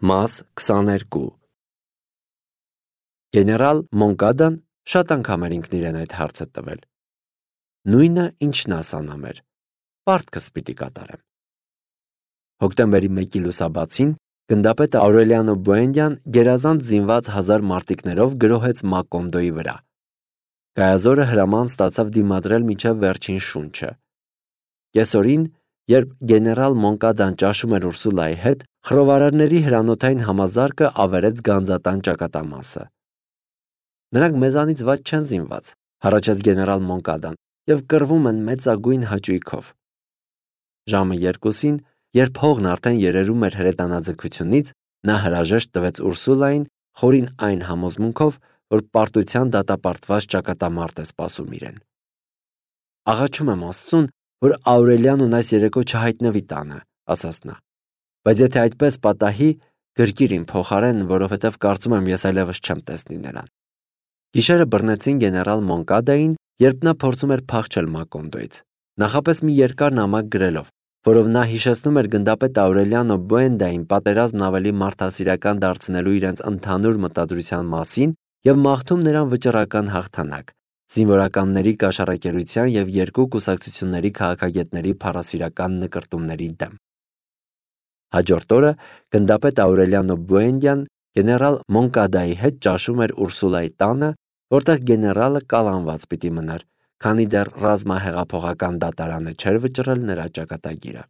Մաս 22 Գեներալ Մոնկադան շատ անգամ էր ինքն իրեն այդ հարցը տվել։ Նույնը ինչ նա ասանամ էր, պարտքս պիտի կատարեմ։ Հոկտեմբերի 1-ի լուսաբացին գնդապետ Աուրելիանո Բուենդյան գերազանց զինված 1000 մարտիկներով գրոհեց Մակոնդոյի վրա։ Գայազորը հրաման ստացավ դիմադրել մինչև վերջին շունչը։ Կեսօրին, երբ գեներալ Մոնկադան ճաշում էր Ուրսուլայի հետ, խռովարարների հրանոթային համազարկը ավերեց գանձատան ճակատամասը։ Նրանք մեզանից վատ չեն զինված, հառաչեց գեներալ Մոնկադան, եւ կռվում են մեծագույն հաճույքով։ Ժամը 2-ին, երբ հողն արդեն երերում էր հրետանաձգությունից, նա հրաժեշտ տվեց Ուրսուլային, խորին այն համոզմունքով, որ պարտության դատապարտված ճակատամարտ է սպասում իրեն։ Աղաչում եմ Աստծուն, որ Աուրելիանոն այս երեկո չհայտնվի տանը, ասաց նա։ Բայց եթե այդպես պատահի, գրկիր իմ փոխարեն, որովհետև կարծում եմ ես այլևս չեմ տեսնի նրան։ Գիշերը բռնեցին գեներալ Մոնկադային, երբ նա փորձում էր փախչել Մակոնդոյից, նախապես մի երկար նամակ գրելով, որով նա հիշեցնում էր գնդապետ Աուրելիանո Բուենդային պատերազմն ավելի մարդասիրական դարձնելու իրենց ընդհանուր մտադրության մասին եւ մաղթում նրան վճռական հաղթանակ, զինվորականների կաշառակերության եւ երկու կուսակցությունների քաղաքագետների փառասիրական նկրտումների դեմ։ Հաջորդ օրը գնդապետ Աուրելիանո Բուենդյան գեներալ Մոնկադայի հետ ճաշում էր Ուրսուլայի տանը, որտեղ գեներալը կալանված պիտի մնար, քանի դեռ ռազմահեղափոխական դատարանը չէր վճռել նրա ճակատագիրը։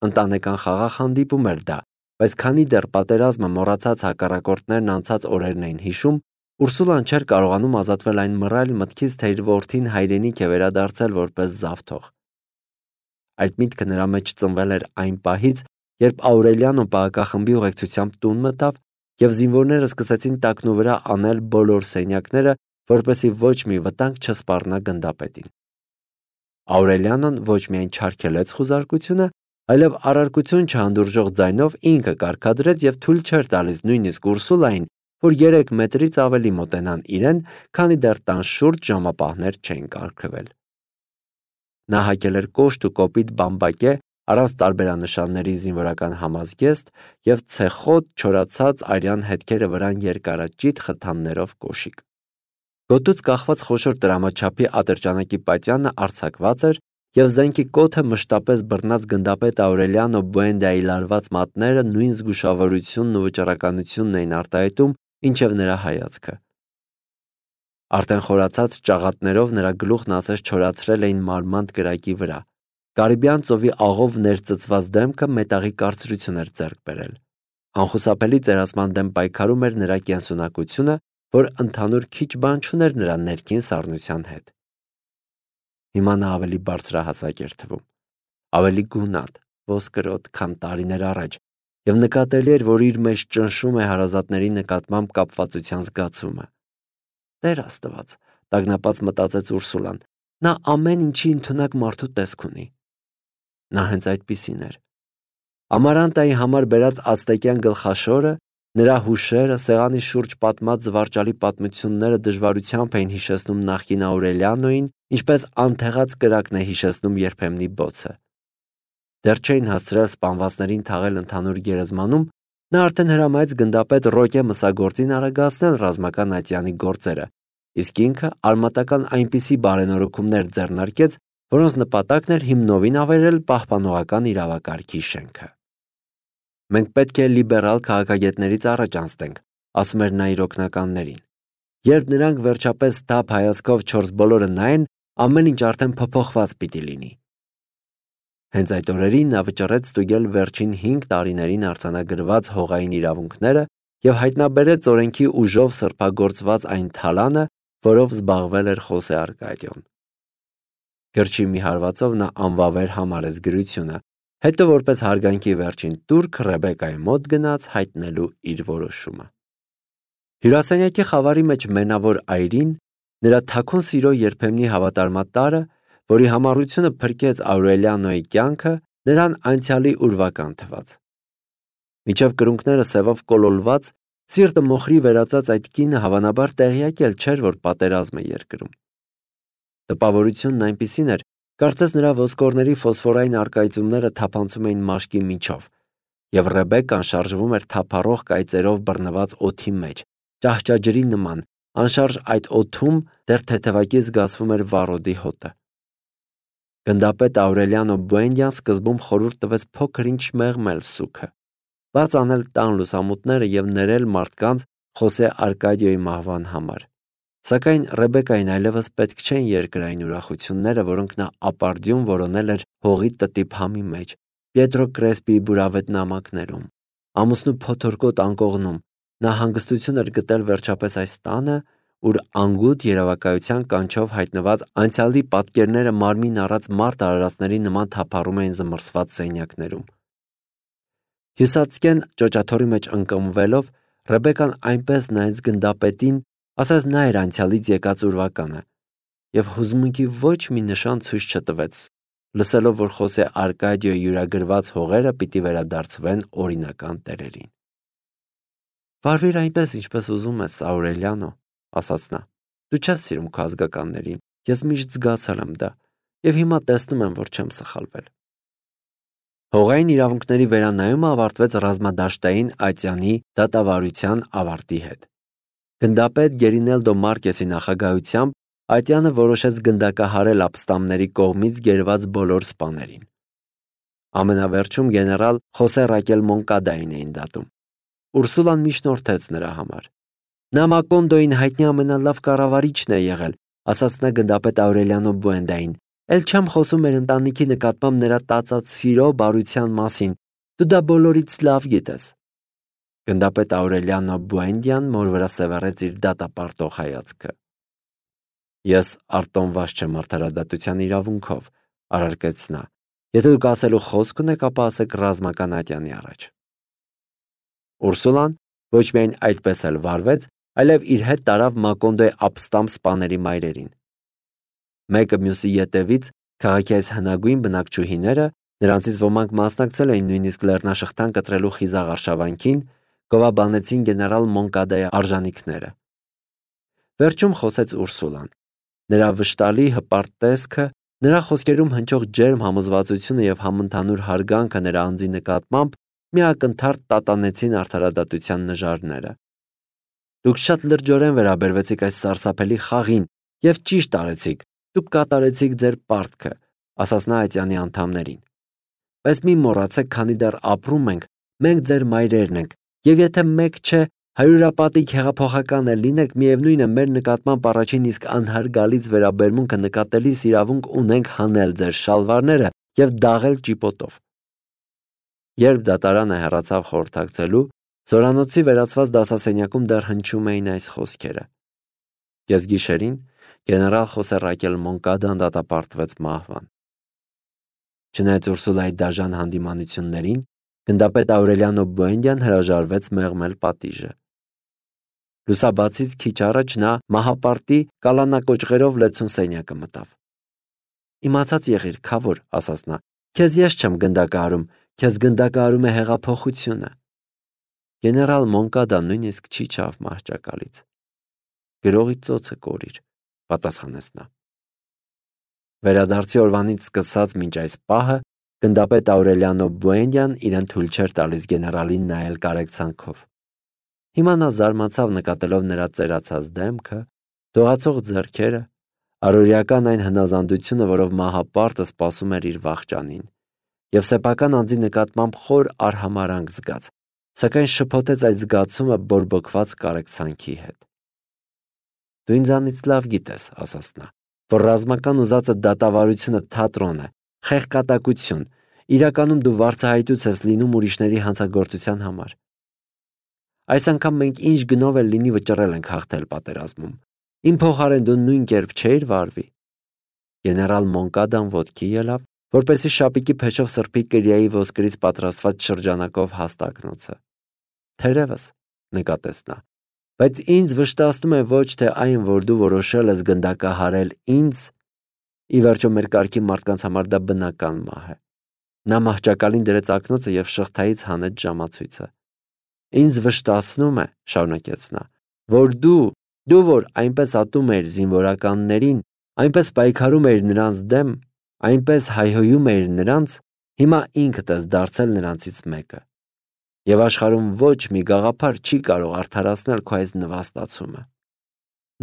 Ընտանեկան խաղաղ հանդիպում էր դա, բայց քանի դեռ պատերազմը մոռացած հակառակորդներն անցած օրերն էին հիշում, Ուրսուլան չէր կարողանում ազատվել այն մռայլ մտքից, թե իր որդին հայրենիք է վերադարձել որպես զավթող։ Այդ միտքը նրա մեջ ծնվել էր այն պահից, երբ Աուրելիանոն պահակախմբի ուղեկցությամբ տուն մտավ եւ զինվորները սկսեցին տակնու վրա անել բոլոր սենյակները, որպեսզի ոչ մի վտանգ չսպառնա գնդապետին։ Աուրելիանոն ոչ միայն չարգելեց խուզարկությունը, այլև առարկություն չհանդուրժող ձայնով ինքը կարգադրեց եւ թույլ չէր տալիս նույնիսկ Ուրսուլային, որ 3 մետրից ավելի մոտենան իրեն, քանի դեռ տան շուրջ ժամապահներ չէին կարգվել։ Նա հագել էր կոշտ ու կոպիտ բամբակե, առանց տարբերանշանների զինվորական համազգեստ եւ ցեխոտ չորացած արյան հետքերը վրան երկարաճիտ խթաններով կոշիկ։ Գոտուց կախված խոշոր տրամաչափի ատրճանակի պատյանը արձակված էր եւ զենքի կոթը մշտապես բռնած գնդապետ Աուրելիանո Բուենդայի լարված մատները նույն զգուշավորությունն ու վճռականությունն էին արտահայտում, ինչև նրա հայացքը։ Արդեն խորացած ճաղատներով նրա գլուխն ասես չորացրել էին մարմանդ կրակի վրա։ Կարիբյան ծովի աղով ներծծված դեմքը մետաղի կարծրություն էր ձեռք բերել։ Անխուսափելի ծերացման դեմ պայքարում էր նրա կենսունակությունը, որ ընդհանուր քիչ բան չուներ նրա ներքին սառնության հետ։ Հիմա նա ավելի բարձրահասակ էր թվում, ավելի գունատ, ոսկրոտ, քան տարիներ առաջ, եւ նկատելի էր, որ իր մեջ ճնշում է հարազատների նկատմամբ կապվածության զգացումը։ Տեր Աստված, տագնապած մտածեց Ուրսուլան, նա ամեն ինչի ընդունակ մարդու տեսք ունի։ Նա հենց այդպիսին էր։ Ամարանտայի համար բերած ացտեկյան գլխաշորը, նրա հուշերը, սեղանի շուրջ պատմած զվարճալի պատմությունները դժվարությամբ էին հիշեցնում նախկին Աուրելիանոին, ինչպես անթեղած կրակն է հիշեցնում երբեմնի բոցը։ Դեռ չէին հասցրել սպանվածներին թաղել ընդհանուր գերեզմանում, նա արդեն հրամայեց գնդապետ Ռոկե մսագործին արագացնել ռազմական ատյանի գործերը, իսկ ինքը արմատական այնպիսի բարենորոգումներ ձեռնարկեց, որոնց նպատակն էր հիմնովին ավերել պահպանողական իրավակարգի շենքը։ Մենք պետք է լիբերալ քաղաքագետներից առաջ անցնենք, ասում էր նա իր օգնականներին։ Երբ նրանք վերջապես թափ հայացքով 4 բոլորը նայեն, ամեն ինչ արդեն փոփոխված պիտի լինի։ Հենց այդ օրերին նա վճռեց ստուգել վերջին 5 տարիներին արձանագրված հողային իրավունքները եւ հայտնաբերեց օրենքի ուժով սրբագործված այն թալանը, որով զբաղվել էր Խոսե Արկադիոն։ Գրչի մի հարվածով նա անվավեր համարեց գրությունը, հետո որպես հարգանքի վերջին տուրք Ռեբեկայի մոտ գնաց հայտնելու իր որոշումը։ Հյուրասենյակի խավարի մեջ մենավոր այրին, նրա թաքուն սիրո երբեմնի հավատարմատարը, որի համառությունը փրկեց Աուրելիանոյի կյանքը, նրան անցյալի ուրվական թվաց։ Միջև կրունկները սևով կոլոլված, սիրտը մոխրի վերածած այդ կինը հավանաբար տեղյակ էլ չէր, որ պատերազմ է երկրում։ Տպավորությունն այնպիսին էր, կարծես նրա ոսկորների ֆոսֆորային արկայծումները թափանցում էին մաշկի միջով, եւ Ռեբեկան շարժվում էր թափառող կայծերով բռնված օդի մեջ, ճահճաջրի նման, անշարժ այդ օդում դեռ թեթևակի զգացվում էր վառոդի հոտը։ Գնդապետ Աուրելիանո Բուենդյան սկզբում խորհուրդ տվեց փոքր-ինչ մեղմել սուքը, բաց անել տան լուսամուտները եւ ներել մարդկանց Խոսե Արկադիոյի մահվան համար։ Սակայն Ռեբեկային այլևս պետք չէին երկրային ուրախությունները, որոնք նա ապարդյուն որոնել էր հողի տտիպ համի մեջ, Պիետրո Կրեսպիի բուրավետ նամակներում, ամուսնու փոթորկոտ անկողնում։ Նա հանգստություն էր գտել վերջապես այս տանը, ուր անգութ երևակայության կանչով հայտնված անցյալի պատկերները մարմին առած մարդ արարածների նման թափառում էին զմռսված սենյակներում։ Հյուսածկեն ճոճաթոռի մեջ ընկմվելով Ռեբեկան այնպես նայեց գնդապետին, ասես նա էր անցյալից եկած ուրվականը, եւ հուզմունքի ոչ մի նշան ցույց չտվեց, լսելով, որ Խոսե Արկադիոյի յուրագրված հողերը պիտի վերադարձվեն օրինական տերերին։ «Վարվիր այնպես, ինչպես ուզում ես, Աուրելիանո», ասաց նա։ «Դու չես սիրում քո ազգականներին, ես միշտ զգացել եմ դա, եւ հիմա տեսնում եմ, որ չեմ սխալվել»։ Հողային իրավունքների վերանայումը ավարտվեց ռազմադաշտային ատյանի դատավարության ավարտի հետ։ Գնդապետ Գերինելդո Մարկեսի նախագահությամբ ատյանը որոշեց գնդակահարել ապստամբների կողմից գերված բոլոր սպաներին։ Ամենավերջում գեներալ Խոսե Ռակել Մոնկադային էին դատում։ Ուրսուլան միջնորդեց նրա համար։ Նա Մակոնդոյին հայտնի ամենալավ կառավարիչն է եղել, ասաց նա գնդապետ Աուրելիանո Բուենդային։ Էլ չեմ խոսում մեր ընտանիքի նկատմամբ նրա տածած սիրո բարության մասին, դու դա բոլորից լավ գիտես։ Գնդապետ Աուրելիանո Բուենդյան մոր վրա սևեռեց իր դատապարտող հայացքը։ Ես արտոնված չեմ արդարադատության իրավունքով, առարկեց նա։ Եթե դուք ասելու խոսք ունեք, ապա ասեք ռազմական ատյանի առաջ։ Ուրսուլան ոչ միայն այդպես էլ վարվեց, այլև իր հետ տարավ Մակոնդոյի ապստամբ սպաների մայրերին։ Մեկը մյուսի ետևից քաղաքի այս հնագույն բնակչուհիները, նրանցից ոմանք մասնակցել էին նույնիսկ լեռնաշղթան կտրելու խիզախ արշավանքին, գովաբանեցին գեներալ Մոնկադայի արժանինքները։ Վերջում խոսեց Ուրսուլան։ Նրա վշտալի հպարտ տեսքը, նրա խոսքերում հնչող ջերմ համոզվածությունը եւ համընդհանուր հարգանքը նրա անձի նկատմամբ միակնթարթ տատանեցին արդարադատության նժարները։ Դուք շատ լրջորեն վերաբերվեցիք այս սարսափելի խաղին եւ ճիշտ արեցիք, դուք կատարեցիք ձեր պարտքը, ասաց նա ատյանի անդամներին։ Բայց մի մոռացեք, քանի դեռ ապրում ենք, մենք ձեր մայրերն ենք, եւ եթե մեկ չէ, հարյուրապատիկ հեղափոխական էլ լինեք, միևնույն է մեր նկատմամբ առաջին իսկ անհարգալից վերաբերմունքը նկատելիս իրավունք ունենք հանել ձեր շալվարները եւ դաղել ճիպոտով։ Երբ դատարանը հեռացավ խորհրդակցելու, զորանոցի վերածված դասասենյակում դեռ հնչում էին այս խոսքերը։ Կեսգիշերին գեներալ Խոսե Ռակել Մոնկադան դատապարտվեց մահվան։ Չնայած Ուրսուլայի դաժան հանդիմանություններին, գնդապետ Աուրելիանո Բուենդյան հրաժարվեց մեղմել պատիժը։ Լուսաբացից քիչ առաջ նա մահապարտի կալանակոճղերով լեցուն սենյակը մտավ։ Իմացած եղիր, քավոր, ասաց նա, քեզ ես չեմ գնդակահարում, քեզ գնդակահարում է հեղափոխությունը։ Գեներալ Մոնկադան նույնիսկ չի չավ մահճակալից։ Գրողի ծոցը կորիր, պատասխանեց նա։ Վերադարձի օրվանից սկսած մինչ այս պահը գնդապետ Աուրելիանո Բուենդյան իրեն թույլ չէր տալիս գեներալին նայել կարեկցանքով։ Հիմա նա զարմացավ նկատելով նրա ծերացած դեմքը, դողացող ձեռքերը, առօրեական այն հնազանդությունը, որով մահապարտը սպասում էր իր վախճանին, եւ սեփական անձի նկատմամբ խոր արհամարանք զգաց, սակայն շփոթեց այդ զգացումը բորբոքված կարեկցանքի հետ։ Դու ինձանից լավ գիտես, ասաց նա, որ ռազմական ուզածը դատավարությունը թատրոն է, խեղկատակություն, իրականում դու վարձահայտուց ես լինում ուրիշների հանցագործության համար։ Այս անգամ մենք ինչ գնով էլ լինի վճռել ենք հաղթել պատերազմում։ Իմ փոխարեն դու նույն կերպ չէիր վարվի։ Գեներալ Մոնկադան ոտքի ելավ, որպեսզի շապիկի փեշով սրբի կրիայի ոսկրից պատրաստված շրջանակով հաստակնոցը։ Թերևս, նկատեց նա, բայց ինձ վշտացնում է ոչ թե այն, որ դու որոշել ես գնդակահարել ինձ, ի վերջո մեր կարգի մարդկանց համար դա բնական մահ է։ Նա մահճակալին դրեց ակնոցը եւ շղթայից հանեց ժամացույցը։ Ինձ վշտացնում է, շարունակեց նա, որ դու որ այնպես ատում էիր զինվորականներին, այնպես պայքարում էիր նրանց դեմ, այնպես հայհոյում էիր նրանց, հիմա ինքդ ես դարձել նրանցից մեկը։ Եվ աշխարհում ոչ մի գաղափար չի կարող արդարացնել քո այս նվաստացումը։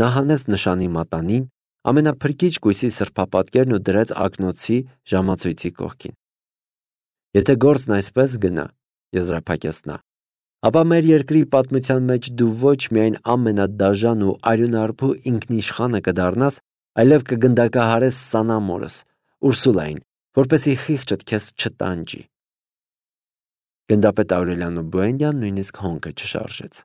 Նա հանեց նշանի մատանին, ամենափրկիչ կույսի սրբապատկերն ու դրեց ակնոցի ժամացույցի կողքին։ Եթե գործն այսպես գնա, եզրափակեց նա, ապա մեր երկրի պատմության մեջ դու ոչ միայն ամենադաժան ու արյունարբու ինքնիշխանը կդառնաս, այլև կգնդակահարես Սանամորս, Ուրսուլային, որպեսզի խիղճդ քեզ չտանջի։ Գնդապետ Աուրելիանո Բուենդյան նույնիսկ հոնքը չշարժեց։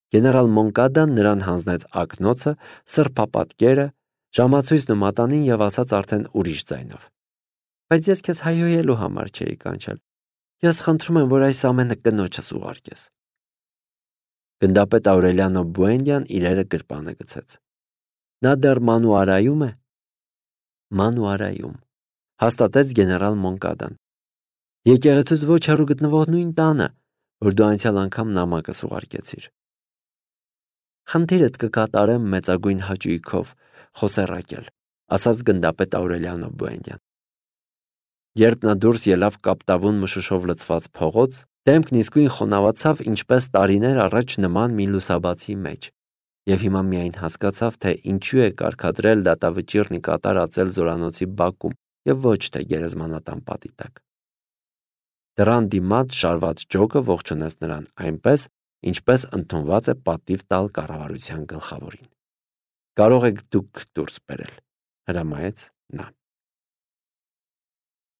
Գեներալ Մոնկադան նրան հանձնեց ակնոցը, սրբապատկերը, ժամացույցն ու մատանին եւ ասաց արդեն ուրիշ ձայնով. Բայց ես քեզ հայհոյելու համար չէի կանչել։ Ես խնդրում եմ, որ այս ամենը կնոջս ուղարկես։ Գնդապետ Աուրելիանո Բուենդյան իրերը գրպանը գցեց։ Նա դեռ Մանուարայում է։ Մանուարայում, հաստատեց գեներալ Մոնկադան։ Եկեղեցուց ոչ հեռու գտնվող նույն տանը, որ դու անցյալ անգամ նամակս ուղարկեցիր։ Խնդիրդ կկատարեմ մեծագույն հաճույքով, Խոսեռակել, ասաց գնդապետ Աուրելիանո Բուենդյան։ Երբ նա դուրս ելավ կապտավուն մշուշով լցված փողոց, դեմքն իսկույն խոնավացավ ինչպես տարիներ առաջ նման մի լուսաբացի մեջ, եւ հիմա միայն հասկացավ, թե ինչու է կարգադրել դատավճիռնի կատարածել զորանոցի բակում եւ ոչ թե գերեզմանատան պատի տակ։ Դռան դիմաց շարված ջոկը ողջունեց նրան այնպես, ինչպես ընդունված է պատիվ տալ կառավարության գլխավորին։ Կարող եք դուք դուրս բերել, հրամայեց նա։